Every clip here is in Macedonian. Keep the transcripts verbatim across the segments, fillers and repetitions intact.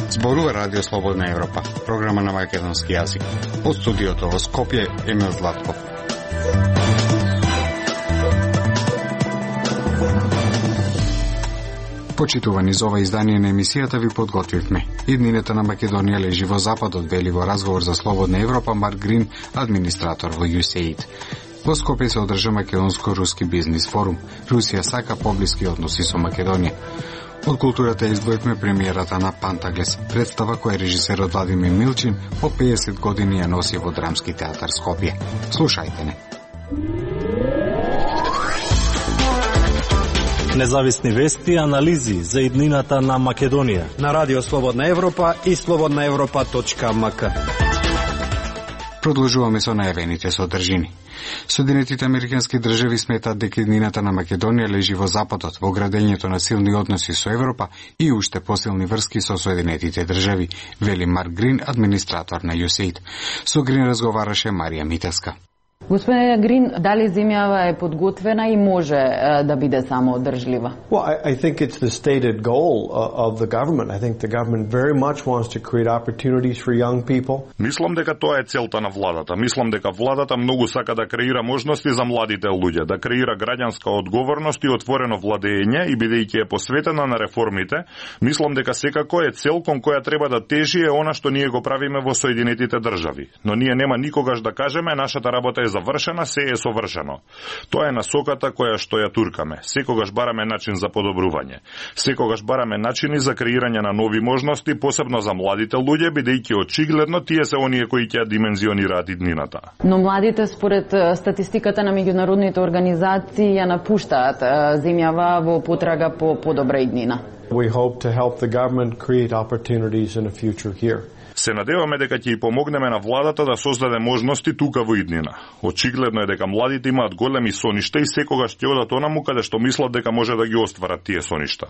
Зборува Радио Слободна Европа, програма на македонски јазик. Од студиото во Скопје, Емил Златков. Почитувани, за ова издание на емисијата ви подготвивме. Иднината на Македонија лежи во западот, вели во разговор за Слободна Европа Марк Грин, администратор во ю ес ей ай ди. Во Скопје се одржа македонско-руски бизнис форум. Русија сака поблиски односи со Македонија. Од културата издвоивме премиерата на Пантаглес, представа која режисерот Владимир Милчин по пеесет години ја носи во Драмски театар Скопје. Слушајте не. Независни вести и анализи за иднината на Македонија на Радио Слободна Европа и слободна европа точка ем ка. Продолжуваме со најавените содржини. Соединетите американски држави сметаат дека иднината на Македонија лежи во западот, во градењето на силни односи со Европа и уште посилни врски со Соединетите држави, вели Марк Грин, администратор на ю ес ей ай ди. Со Грин разговараше Марија Митевска. Господине Грин, дали земјава е подготвена и може uh, да биде самоодржлива? Well, I, I think it's the stated goal uh, of the government. I think the government very much wants to create opportunities for young people. Мислам дека тоа е целта на владата. Мислам дека владата многу сака да креира можности за младите луѓе, да креира граѓанска одговорност и отворено владење и бидејќи е посветена на реформите, мислам дека секако е цел кон која треба да тежи е она што ние го правиме во Соединетите држави. Но ние нема никогаш да кажеме нашата работа е завршена, се е совршено. Тоа е насоката која што ја туркаме. Секогаш бараме начин за подобрување. Секогаш бараме начини за креирање на нови можности, посебно за младите луѓе, бидејќи очигледно тие се оние кои ќе димензионираат иднината. Но младите, според статистиката на меѓународните организации, ја напуштаат земјава во потрага по подобра иднина. We hope to help the government create opportunities in a future here. Се надеваме дека ќе и помогнеме на владата да создаде можности тука во иднина. Очигледно е дека младите имаат големи соништа и секогаш ќе одат онаму каде што мислат дека може да ги остварат тие соништа.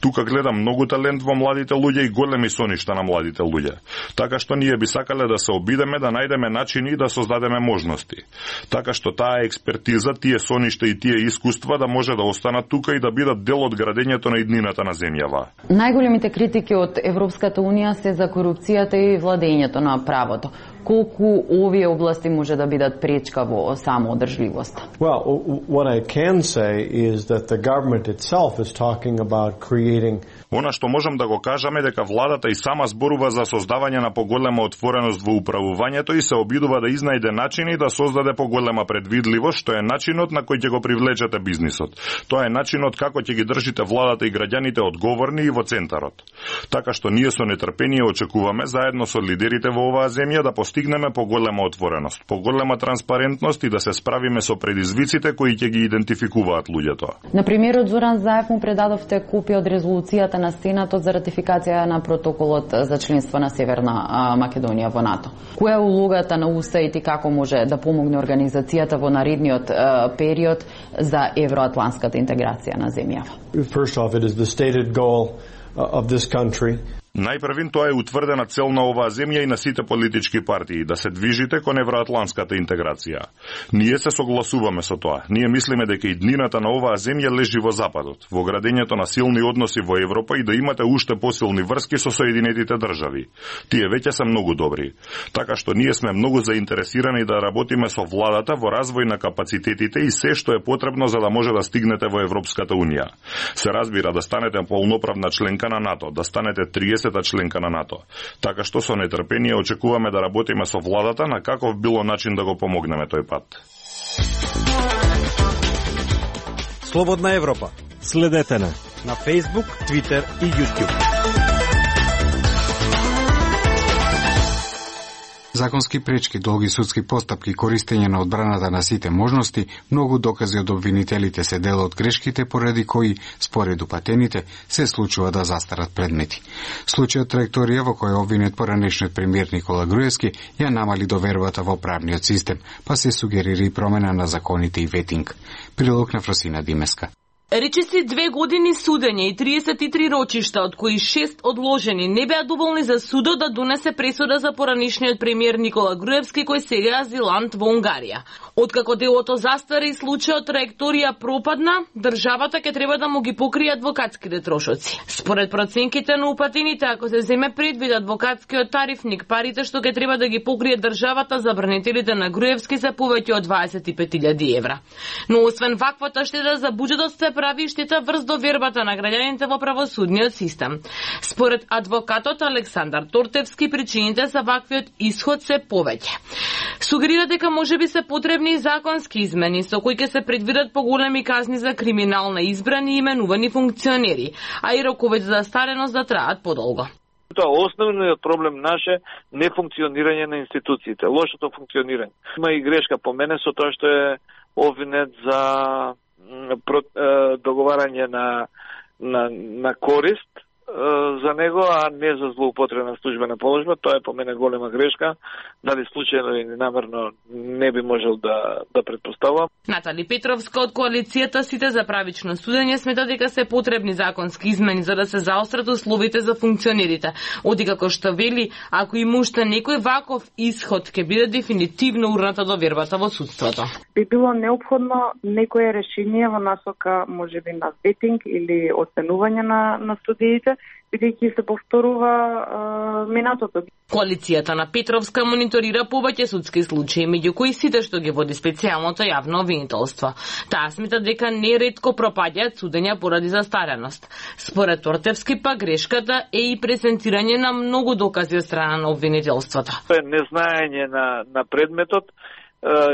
Тука гледам многу талент во младите луѓе и големи соништа на младите луѓе. Така што ние би сакале да се обидеме да најдеме начини да создадеме можности. Така што таа експертиза, тие соништа и тие искуства да може да останат тука и да бидат дел од градењето на иднината на земјава. Најголемите критики од Европската унија се за корупцијата и владењето на правото. Колку овие области може да бидат пречка во самоодржливост? Well, what I can say is that the government itself is talking about creating. Она што можам да го кажам е дека владата и сама зборува за создавање на поголема отвореност во управувањето и се обидува да изнајде начини да создаде поголема предвидливост, што е начинот на кој ќе го привлечете бизнисот. Тоа е начинот како ќе ги држите владата и граѓаните одговорни и во центарот. Така што ние со нетрпение очекуваме заедно со лидерите во оваа земја да постигнеме поголема отвореност, поголема транспарентност и да се справиме со предизвиците кои ќе ги идентификуваат луѓето. На премиерот Зоран Заев му предадовте копија од резолуцијата на Сенатот за ратификација на протоколот за членство на Северна Македонија во НАТО. Која е улогата на ю ес ей ай ди и како може да помогне организацијата во наредниот период за евроатлантската интеграција на земјава? First off, it is the stated goal of this country. Најпрвин тоа е утврдена цел на оваа земја и на сите политички партии, да се движите кон евроатлантската интеграција. Ние се согласуваме со тоа. Ние мислиме дека иднината на оваа земја лежи во западот, во градењето на силни односи во Европа и да имате уште посилни врски со Соединетите држави. Тие веќе се многу добри. Така што ние сме многу заинтересирани да работиме со владата во развој на капацитетите и се што е потребно за да може да стигнете во Европската унија. Се разбира да станете полноправна членка на НАТО, да станете триесета членка на НАТО. Така што со нетрпение очекуваме да работиме со владата на каков било начин да го помогнеме тој пат. Слободна Европа. Следете на на Facebook, Twitter и YouTube. Законски пречки, долги судски постапки, користење на одбраната на сите можности, многу докази од обвинителите се дел од грешките поради кои, според упатените, се случува да застарат предмети. Случајот траекторија во која обвинет поранешниот премиер Никола Груевски ја намали довербата во правниот систем, па се сугерира и промена на законите и ветинг. Прилог на Фросина Димеска. Речиси две години судење и триесет и три рочишта, од кои шест одложени, не беа доволни за судот да донесе пресуда за поранишниот премиер Никола Груевски, кој сега е азилант во Унгарија. Откако делото застари и случајот траекторија пропадна, државата ќе треба да му ги покрие адвокатските трошоци. Според проценките на упатените, ако се земе предвид адвокатскиот тарифник, парите што ќе треба да ги покрие државата за бранителите на Груевски се повеќе од дваесет и пет илјади евра. Но освен ваквата штета за буџетот се прави штета врз довербата на граѓаните во правосудниот систем. Според адвокатот Александар Тортевски, причините за ваквиот исход се повеќе. Сугерира дека можеби се потребни законски измени со кои ќе се предвидат поголеми казни за криминал на избрани и именувани функционери, а и роковите за стареност да траат подолго. Тоа основниот проблем наше нефункционирање на институциите, лошото функционирање. Има и грешка по мене со тоа што е обвинет за договарање на, на, на корист за него, а не за злоупотреба на службена положба. Тоа е по мене голема грешка. Дали случајно или намерно не би можел да, да предпоставам. Натали Петровска од коалицијата Сите за правично судење смета дека се потребни законски измени за да се заострат условите за функционерите. Оди како што вели, ако има уште некој ваков исход, ќе биде дефинитивно урната довербата во судството. Би било необходно некое решение во насока можеби на ветинг или оценување на, на судиите, бидејќи се повторува е, минатото. Коалицијата на Петровска мониторира повеќе судски случаи, меѓу кои сите што ги води специјалното јавно обвинителство. Таа смета дека неретко пропаѓаат судења поради застареност. Според Тортевски па грешката е и презентирање на многу докази од страна на обвинителството. Незнаење на, на предметот,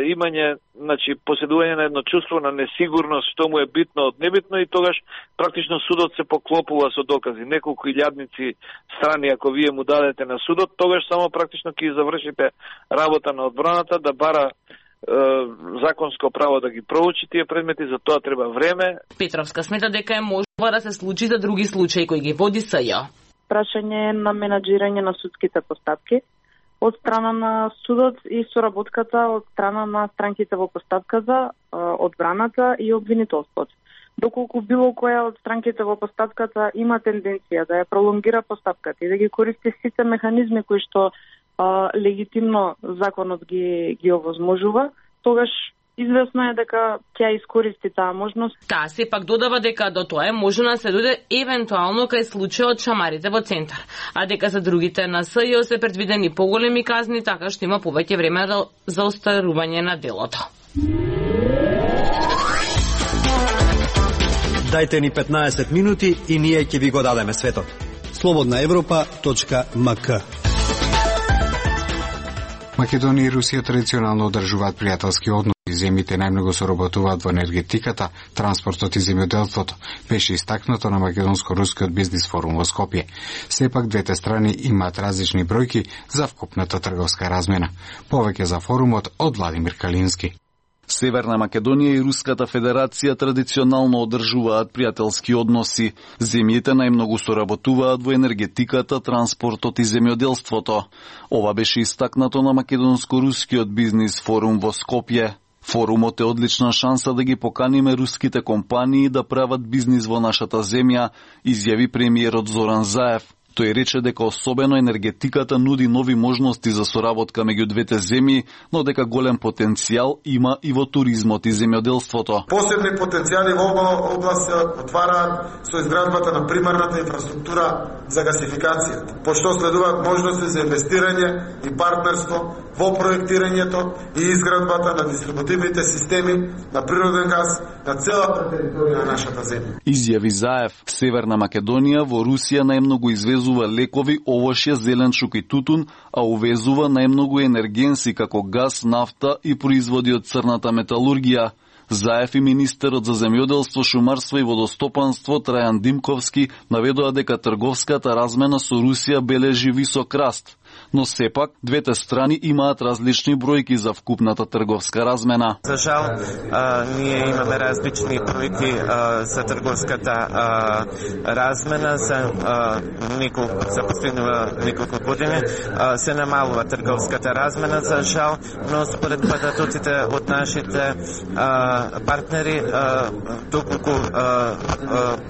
имање, значи, поседување на едно чувство на несигурност што му е битно од небитно и тогаш практично судот се поклопува со докази. Неколку илјадници страни ако вие му дадете на судот, тогаш само практично ќе завршите работа на одбраната да бара е, законско право да ги проучи тие предмети, за тоа треба време. Петровска смета дека е можно да се случи за други случаи кои ги води СЈ. Прашање на менаџирање на судските постапки од страна на судот и соработката од страна на странките во постапката, одбраната и обвинителството. Доколку било која од странките во постапката има тенденција да ја пролонгира постапката и да ги користи сите механизми кои што а, легитимно законот ги ги овозможува, тогаш известно е дека ќе искористи таа можност. Таа сепак додава дека до тоа е можно да се дојде евентуално кај случајот шамарите во центар, а дека за другите на СЈ се предвидени поголеми казни, така што има повеќе време за остарување на делото. Дајте ни петнаесет минути и ние ќе ви го дадеме светот. слободна европа точка ем ка. Македонија и Русија традиционално одржуваат пријателски односи. Земјите најмногу соработуваат во енергетиката, транспортот и земјоделството, беше истакнато на македонско-рускиот бизнис форум во Скопје. Сепак двете страни имаат различни бројки за вкупната трговска размена. Повеќе за форумот од Владимир Калински. Северна Македонија и Руската Федерација традиционално одржуваат пријателски односи. Земјите најмногу соработуваат во енергетиката, транспортот и земјоделството. Ова беше истакнато на македонско-рускиот бизнис форум во Скопје. Форумот е одлична шанса да ги поканиме руските компании да прават бизнис во нашата земја, изјави премиерот Зоран Заев. Тој рече дека особено енергетиката нуди нови можности за соработка меѓу двете земји, но дека голем потенцијал има и во туризмот и земјоделството. Посебни потенцијали во ова област се отвараат со изградбата на примарната инфраструктура за гасификацијата, пошто следуваат можности за инвестирање и партнерство во проектирањето и изградбата на дистрибутивните системи на природен газ на целата територија на нашата земја. Изјави Заев. Северна Македонија во Русија најмногу извезува лекови, овошје, зеленчук и тутун, а увезува најмногу енергенси како газ, нафта и производи од црната металургија. Заев и министерот за земјоделство, шумарство и водостопанство Трајан Димковски наведоа дека трговската размена со Русија бележи висок раст. но сепак двете страни имаат различни бројки за вкупната трговска размена. За жал, а, ние имаме различни бројки а, за трговската а, размена за а, неколку за последните неколку години. А, се намалува трговската размена за жал, но според податоците од нашите а, партнери а, доколку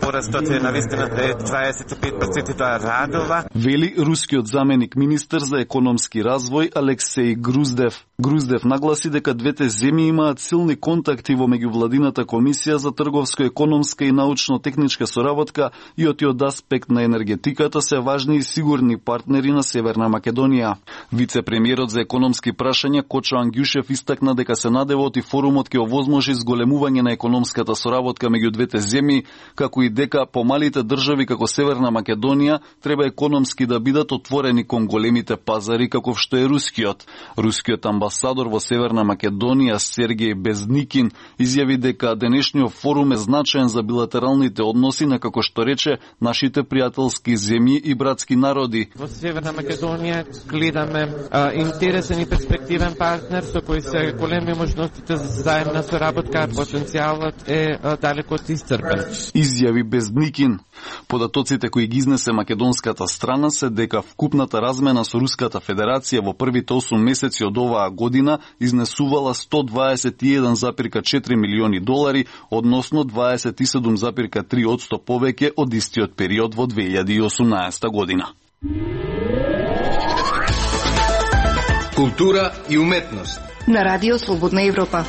порастот е навистина е дваесет и пет проценти, тоа радува. Вели рускиот заменик министер за економски развој Алексеј Груздев. Груздев нагласи дека двете земји имаат силни контакти во меѓувладината комисија за трговско-економска и научно-техничка соработка и од од аспект на енергетиката се важни и сигурни партнери на Северна Македонија. Вице-премиерот за економски прашања Кочо Ангјушев истакна дека се надевот и форумот ќе овозможи зголемување на економската соработка меѓу двете земји, како и дека помалите држави како Северна Македонија треба економски да бидат отворени кон големите пазари каков што е рускиот. Рускиот амбасадор во Северна Македонија Сергеј Безникин изјави дека денешниот форум е значаен за билатералните односи на, како што рече, нашите пријателски земји и братски народи. Во Северна Македонија гледаме а, интересен и перспективен партнер со кој се големи можностите за заемна соработка, потенцијалот е а, далеку од исцрпен. Изјави Безникин. Податоците кои ги изнесе македонската страна се дека вкупната размена со Руската Федерација во првите осум месеци од оваа година изнесувала сто дваесет и еден зарез четири милиони долари, односно дваесет и седум зарез три одсто повеќе од истиот период во две илјади и осумнаесета година. Култура и уметност на Радио Слободна Европа.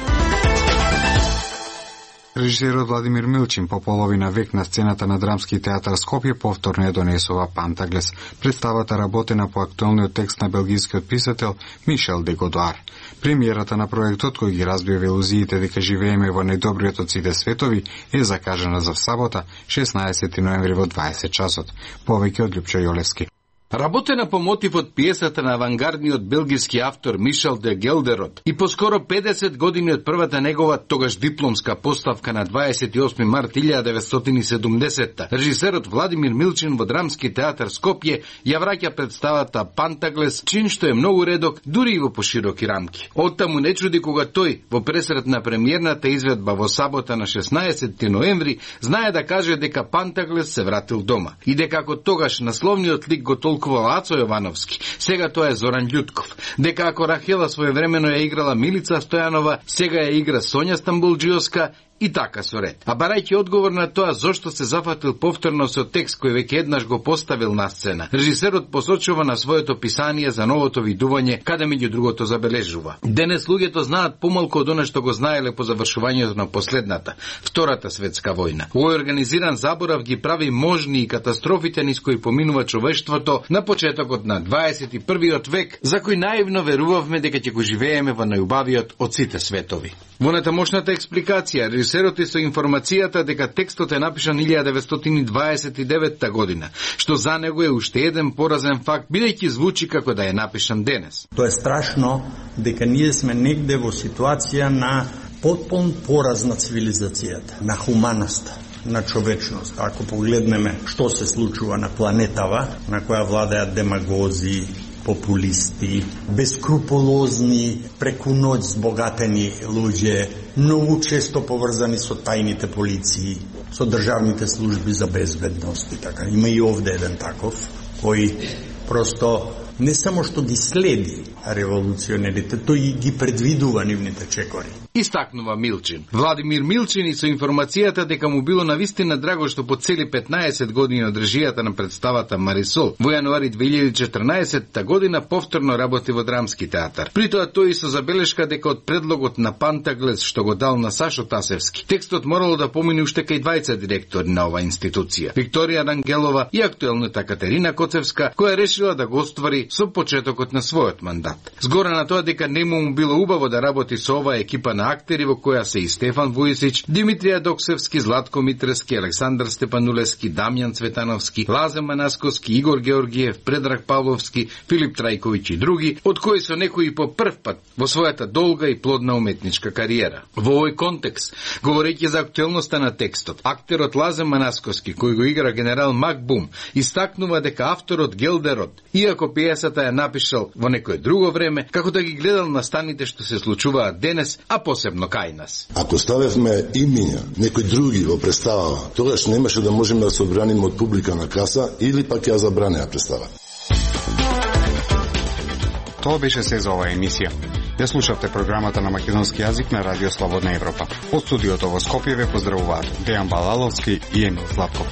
Режисерот Владимир Милчин по половина век на сцената на Драмски театар Скопје повторно ја донесува Пантаглес. Представата работена по актуелниот текст на белгискиот писател Мишел де Годуар. Премиерата на проектот, кој ги разбива илузиите дека живееме во најдобриот од сите светови, е закажана за сабота, шеснаесети ноември во дваесет часот. Повеќе од Лјупчо Јолевски. Работена по мотивот пиесата на авангардниот белгиски автор Мишел де Гелдерот и поскоро педесет години од првата негова тогаш дипломска поставка на дваесет и осми март илјада деветстотини и седумдесетта, режисерот Владимир Милчин во Драмски театар Скопје ја враќа представата Пантаглес, чин што е многу редок, дури и во пошироки рамки. Оттаму не чуди кога тој, во пресрет на премиерната изведба во сабота на шеснаесети ноември, знае да каже дека Пантаглес се вратил дома и дека ако тогаш насловниот лик го толкува Ацо Јовановски, сега тоа е Зоран Љутков, дека ако Рахела своевремено ја играла Милица Стојанова, сега ја игра Сонја Стамбулџиевска, и така со ред. А барајќи одговор на тоа зошто се зафатил повторно со текст кој веќе еднаш го поставил на сцена, режисерот посочува на своето писание за новото видување, каде меѓу другото забележува: денес луѓето знаат помалку од она што го знаеле по завршувањето на последната, Втората светска војна. Овој организиран заборав ги прави можни и катастрофите низ кои поминува човештвото на почетокот на дваесет и првиот век, за кој наивно верувавме дека ќе го живееме во најубавиот од сите светови. Во натамошната експликација, режисерот е со информацијата дека текстот е напишан илјада деветстотини дваесет и деветта година, што за него е уште еден поразен факт, бидејќи звучи како да е напишан денес. Тоа е страшно дека ние сме негде во ситуација на потпун пораз на цивилизацијата, на хуманоста, на човечност. Ако погледнеме што се случува на планетава, на која владеат демагози, популисти, бескрупулозни, преку ноќ збогатени луѓе, многу често поврзани со тајните полиции, со државните служби за безбедност и така. Има и овде еден таков, кој просто не само што ги следи револуционерите, тој ги предвидува нивните чекори. Истакнува Милчин. Владимир Милчин и со информацијата дека му било навистина драго што по цели петнаесет години од режијата на представата Марисол во јануари две илјади и четрнаесетта година повторно работи во Драмски театар. При тоа тој со забелешка дека од предлогот на Пантаглес што го дал на Сашо Тасевски, текстот морало да помине уште кај двајца директори на оваа институција, Викторија Рангелова и актуелната Катерина Коцевска, која решила да го оствари со почетокот на својот мандат. Згора на тоа дека нему му било убаво да работи со оваа екипа на на актери во која се и Стефан Вујсич, Димитрија Доксевски, Златко Митрески, Александар Степанулевски, Дамјан Цветановски, Лазе Манасковски, Игор Георгиев, Предраг Павловски, Филип Трајковиќ и други, од кои со некои по прв пат во својата долга и плодна уметничка кариера. Во овој контекст, говорејќи за актуелноста на текстот, актерот Лазе Манасковски, кој го игра генерал Макбум, истакнува дека авторот Гелдерот, иако пиесата ја напишал во некое друго време, како да ги гледал настаните што се случуваат денес, а посебно кај нас. Ако ставевме имиња некои други во представава, тогаш немаше да можеме да се одбраниме од публика на каса или пак ја забранеа представа. Тоа беше се за оваа емисија. Ја слушавте програмата на македонски јазик на Радио Слободна Европа. Од студиото во Скопје ве поздравуваат Дејан Балаловски и Емил Златков.